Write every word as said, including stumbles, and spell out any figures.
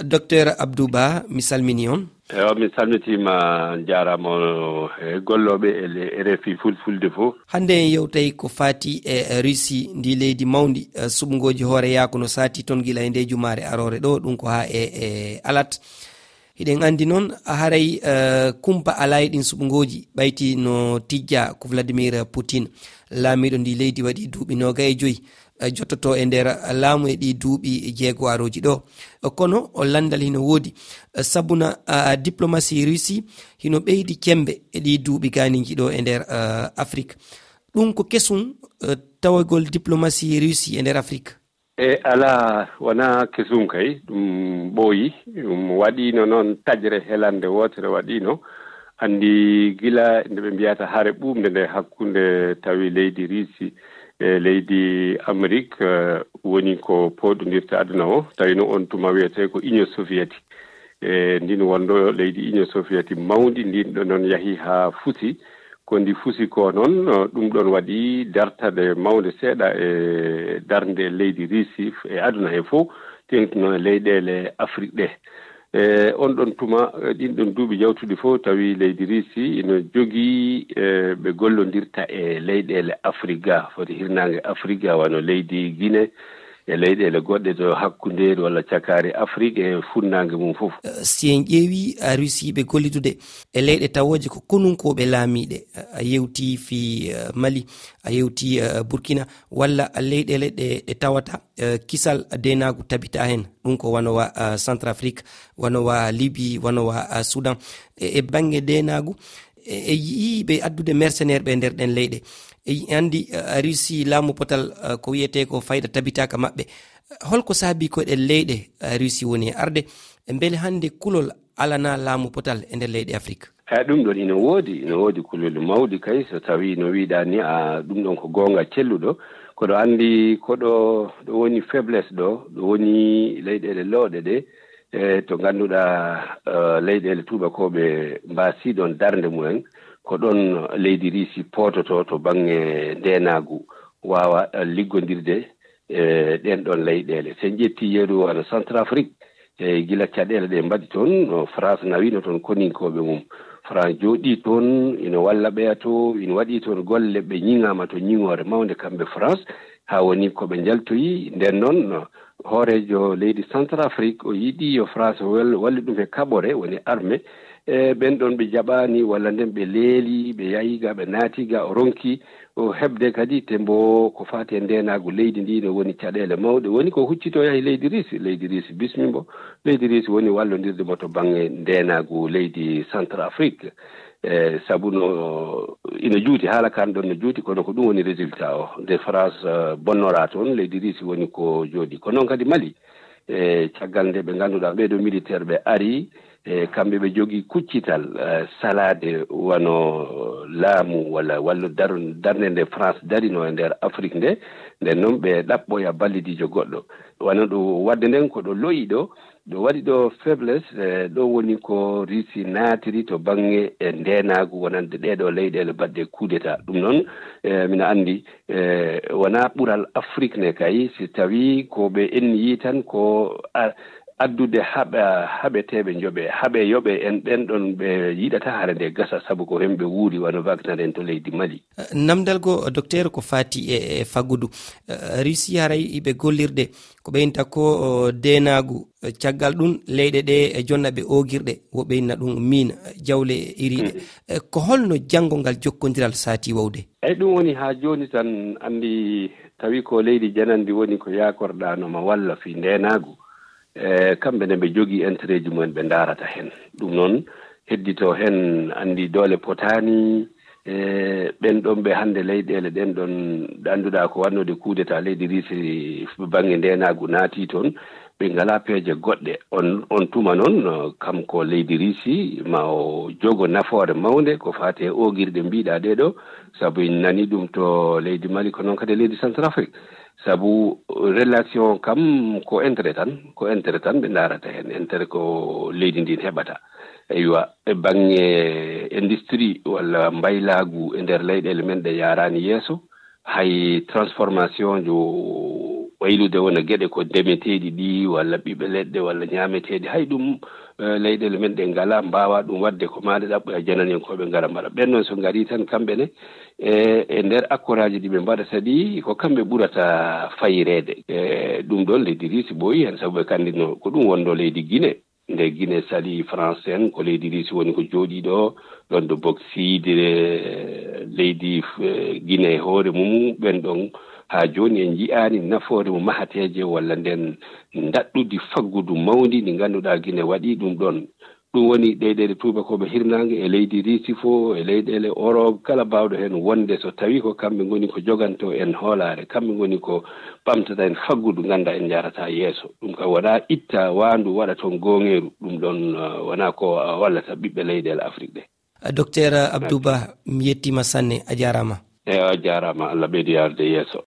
Docteur Abdou Ba, mi salmini on. Ewa, mi salmitiima, on njaaraama, on e gollooɓe e le-, R F I Fulfulde fof. Hannde en yewtay ko faati e Russie, ndi leydi mawndi, eh, suɓngooji hooreyaaku no saati toon gila e nde jumaare aroore ɗo, ɗum ko haa e, e alat. Hiɗen anndi noon, haray, eh, kumpa alaa e ɗin suɓngooji, ɓayti no tijjaa ko Vladimir Poutine, laamiiɗo ndi leydi waɗi duuɓi noogay e joyi, eh, jottoto e nder laamu e ɗi duuɓi jeego arooji ɗo. Kono o lanndal hino woodi, eh, sabuna, ah, diplomasi Russie hino ɓeydi cemmbe e ɗi duuɓi gaaniiji ɗo e nder, eh, Afrik. Ɗum ko kesum, eh, tawagol diplomasi Russie e nder Afrik? E alaa, wonaa kesum kay, ɗum ɓooyi, ɗum waɗiino noon taƴre helande wootere waɗiino. Anndi gila nde ɓe mbiyata hare ɓuuɓnde nde hakkunde tawi leydi Russie e leydi Amérique, eh, woni ko pooɗondirta aduna o, tawi no on tuma wiyetee ko Union Soviétique. E ndin wonɗo leydi Union Soviétique mawndi, ndin ɗo noon yahi haa fusi. Ko ndi fusi ko noon, ɗum ɗon waɗi dartaɗe mawnde seeɗa e darnde leydi Russie e aduna he fof, teeŋti noon e leyɗeele Afrik ɗe. E on ɗon tuma, e ɗin ɗon duuɓi jawtuɗi fof, tawi leydi Russie ino jogii, e ɓe gollondirta e leyɗeele Afrik ga, foti hirnaange Afrik ga, wano leydi Guinée, e leyɗeele goɗɗe to hakkundeeri walla cakaari Afrik e funnaange mum fof. Eh, si en ƴeewi, eh, Russie ɓe gollidude e leyɗe tawooje ko konunkooɓe laamiiɗe, eh, a yewti fii, eh, Mali, a yewti, eh, Burkina, walla leyɗeele ɗe, ɗe tawata, eh, kisal deenaagu tabita heen. Ɗum ko wano wa, eh, Centrafrique, wano wa Libye, wano wa, eh, Soudan. E, e bannge deenaagu, e, e yi'iiɓe addude mercenaire ɓe nder ɗen leyɗe. E, anndi, eh, Russie laamu potal, eh, ko wiyetee ko fayda tabitaaka maɓɓe. Holko saabii ko ɗen leyɗe, eh, Russie woni e arde? E mbele hannde kulol alanaa laamu potal e nder leyɗe Afrik? Eh, ɗum ɗon ina woodi, ina woodi kulol mawɗi kay, so tawii no wiiɗaa ni, a, ɗum ɗon ko goonga celluɗo. Koɗo anndi, koɗo, ɗo woni faiblesse ɗo, ɗo woni leyɗeele looɗe ɗe, e to ngannduɗaa, eh, leyɗeele tuubakooɓe mbaasii ɗon darnde mumen, ko ɗon leydi Russie poototoo to baŋŋe ndeenaagu, waawa, eh, liggondirde e ɗen ɗon leyɗeele. So en ƴetti yeru wano Centrafrique, e gila caɗeele ɗe mbaɗi toon, no France nawino toon koninkooɓe mum. France jooɗii toon, ino walla ɓeya to, ino waɗi toon golle, ɓe ñiŋaama to ñiŋoore mawnde kamɓe France, haa woni ko ɓe njaltoyi. Nden noon, hooreejo leydi Centrafrique, o yiɗi yo France wel-, wallu ɗum e kaɓore, woni armée. E ɓen ɗon ɓe jaɓaani, walla nden ɓe leeli, ɓe yahi ga, ɓe naati ga, o ronki o heɓde kadi, te mbo ko faati e ndeenaagu leydi ndi, no woni caɗeele mawɗe. Woni ko huccito yahi leydi Russie, leydi Russie bismi mbo, leydi Russie woni wallondirde mo to baŋŋe ndeenaagu leydi Centrafrique. E sabu no ina juuti, haala kan ɗon no juuti, kono ko ɗum woni résultat o. Nde France, eh, bonnora toon, leydi Russie woni ko jooɗi. Ko noon kadi Mali, e caggal nde ɓe ngannduɗaa ɓee ɗoo militaire ɓe ari, e kamɓe ɓe jogii kuccital, eh, salaade wano laamu walla wallu dar-, darnde nde France darino e nder Afrik nde, nden noon ɓe ɗaɓɓoya ballidiijo goɗɗo. Wano ɗo waɗde nden ko ɗo lo'i ɗo, ɗo waɗi ɗo faiblesse, eh, ɗo woni ko Russie naatiri to baŋŋe e ndeenaagu wonande ɗee ɗoo leyɗeele baɗɗe coup d'État. Ɗum noon, eh, mina anndi, eh, wonaa ɓural Afrik ne kay, si tawii ko ɓe enniyii tan ko a-, addude haɓa-, haɓeteeɓe njoɓe, haɓe yoɓe en ɓen ɗon ɓe yiɗata hare nde gasa, sabu ko hemɓe wuuri wano Wagner en to leydi Mali. Namdal goo, Docteur, ko faati e, e faggudu. Eh, Russie haray iɓe gollirde ko ɓeynta ko, o, deenaagu. Eh, caggal ɗum, leyɗe ɗe e jonna ɓe oogirɗe, wo ɓeynna ɗum miin, jawle e iriiɗe. Mhm. Eh, ko holno janngo ngal jokkondiral saati wawde? Eyi, ɗum woni haa jooni tan, anndi tawi ko leydi janandi woni ko yaakorɗaa no ma walla fii ndeenaagu. E kamɓe ne ɓe jogii intérêt ji mumen ɓe ndaarata heen. Ɗum noon, heddito heen, anndi doole potaani, e ɓen ɗon ɓe hannde leyɗeele ɗen ɗon ɗe annduɗaa ko waɗnode coup d'État leydi Russie baŋnge ndeenaagu naati toon, ɓe ngalaa peeje goɗɗe. On, on tuma noon, kam ko leydi Russie ma o jogo nafoore mawnde ko faati e oogirɗe mbiɗaa ɗee ɗoo, sabu en nani ɗum to leydi Mali, ko noon kadi e leydi Centrafrique. Sabu relation kam ko intérêt tan, ko intérêt tan ɓe ndaarata heen, intérêt ko leydi ndin heɓata. Eywa, e baŋnge industrie walla mbaylaagu e nder leyɗeele men ɗe yaaraani yeeso, hay transformation jo waylude wona geɗe ko ndemeteeɗi ɗi, walla ɓiɓɓe leɗɗe, walla ñaameteeɗi. Hay ɗum, eh, leyɗeele men ɗe ngalaa, mbaawaa ɗum waɗde, ko maa nde ɗaɓɓoya jananiyankooɓe ngara mbaɗa. Ɓen noon so ngarii tan kamɓe ne, e, e nder akkoraaji ɗi ɓe mbaɗata ɗi, ko kamɓe ɓurata fayireede. E, ɗum ɗoon leydi Riisi ɓooyi heen, sabu ɓe kanndinoo ko ɗum wonno leydi Gine. Nde Gine salii France en, ko leydi Riisi woni ko jooɗii ɗo, ɗoon ɗo boksiide, e, leydi, e, Gine e hoore mum, ɓen ɗon haa jooni en njiyaani nafoore mum mahateeje walla nden ndaɗɗudi faggudu mawndi ndi ngannduɗaa Gine waɗii ɗum ɗoon. Ɗum woni leyɗeele tuubakooɓe hirnaange e leydi Riisi fof, e leyɗeele Orop, kala baawɗo heen wonde so tawii ko kamɓe ngoni ko jogantoo en hoolaare, kamɓe ngoni ko ɓamtata en faggudu, ngannda en njaarataa yeeso. Ɗum kam wonaa itta waandu waɗa toon gooŋeeru, ɗum ɗoon, eh, wonaa ko, eh, wallata ɓiɓɓe leyɗeele Afrik ɗe. Docteur Abdou Ba, mi yettiima sanne, a jaaraama. Eewa, a jaaraama, Allah ɓeydu yaarude yeeso.